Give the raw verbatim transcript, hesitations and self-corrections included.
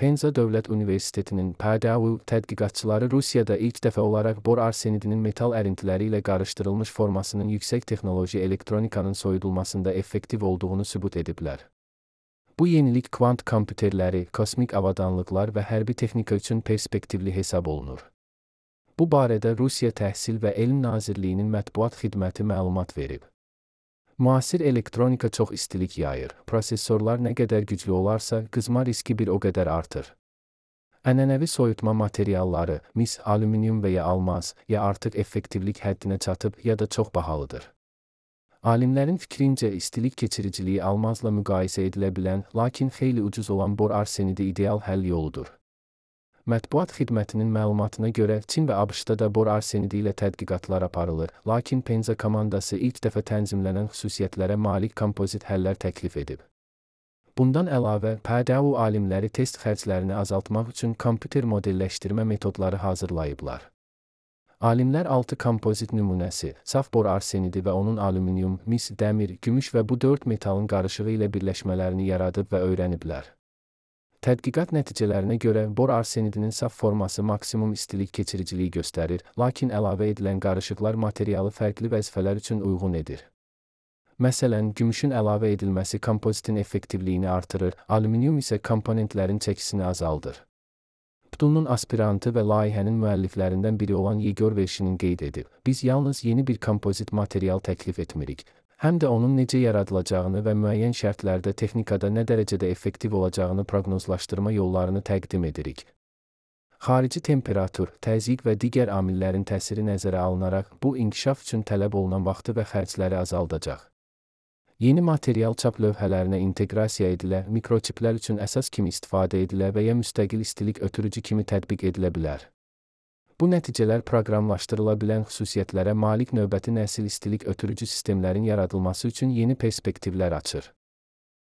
Penza Dövlət Universitetinin P D U tədqiqatçıları Rusiyada ilk dəfə olaraq bor arsenidinin metal ərintiləri ilə qarışdırılmış formasının yüksək texnoloji elektronikanın soyudulmasında effektiv olduğunu sübut ediblər. Bu yenilik kvant kompüterləri, kosmik avadanlıqlar və hərbi texnika üçün perspektivli hesab olunur. Bu barədə Rusiya Təhsil və Elm Nazirliyinin mətbuat xidməti məlumat verib. Müasir elektronika çox istilik yayır. Prosesorlar nə qədər güclü olarsa, qızma riski bir o qədər artır. Ənənəvi soyutma materialları, mis, alüminium və ya almaz, ya artıq effektivlik həddinə çatıb, ya da çox bahalıdır. Alimlərin fikrincə istilik keçiriciliyi almazla müqayisə edilə bilən, lakin xeyli ucuz olan bor arsenidi ideal həll yoludur. Mətbuat xidmətinin məlumatına görə Çin və ABŞ-da da bor arsenidi ilə tədqiqatlar aparılır, lakin Penza komandası ilk dəfə tənzimlənən xüsusiyyətlərə malik kompozit həllər təklif edib. Bundan əlavə, P D U alimləri test xərclərini azaltmaq üçün kompüter modelləşdirmə metodları hazırlayıblar. Alimlər altı kompozit nümunəsi, saf bor arsenidi və onun alüminium, mis, dəmir, gümüş və bu dörd metalın qarışığı ilə birləşmələrini yaradıb və öyrəniblər. Tədqiqat nəticələrinə görə bor arsenidinin saf forması maksimum istilik keçiriciliyi göstərir, lakin əlavə edilən qarışıqlar materialı fərqli vəzifələr üçün uyğun edir. Məsələn, gümüşün əlavə edilməsi kompozitin effektivliyini artırır, alüminium isə komponentlərin çəkisini azaldır. P D U-nun aspirantı və layihənin müəlliflərindən biri olan Yegor Vershinin qeyd edib, biz yalnız yeni bir kompozit material təklif etmirik, həm də onun necə yaradılacağını və müəyyən şərtlərdə texnikada nə dərəcədə effektiv olacağını proqnozlaşdırma yollarını təqdim edirik. Xarici temperatur, təzyiq və digər amillərin təsiri nəzərə alınaraq, bu inkişaf üçün tələb olunan vaxtı və xərcləri azaldacaq. Yeni material çap lövhələrinə inteqrasiya edilə, mikroçiplər üçün əsas kimi istifadə edilə və ya müstəqil istilik ötürücü kimi tətbiq edilə bilər. Bu nəticələr proqramlaşdırıla bilən xüsusiyyətlərə malik növbəti nəsil istilik ötürücü sistemlərin yaradılması üçün yeni perspektivlər açır.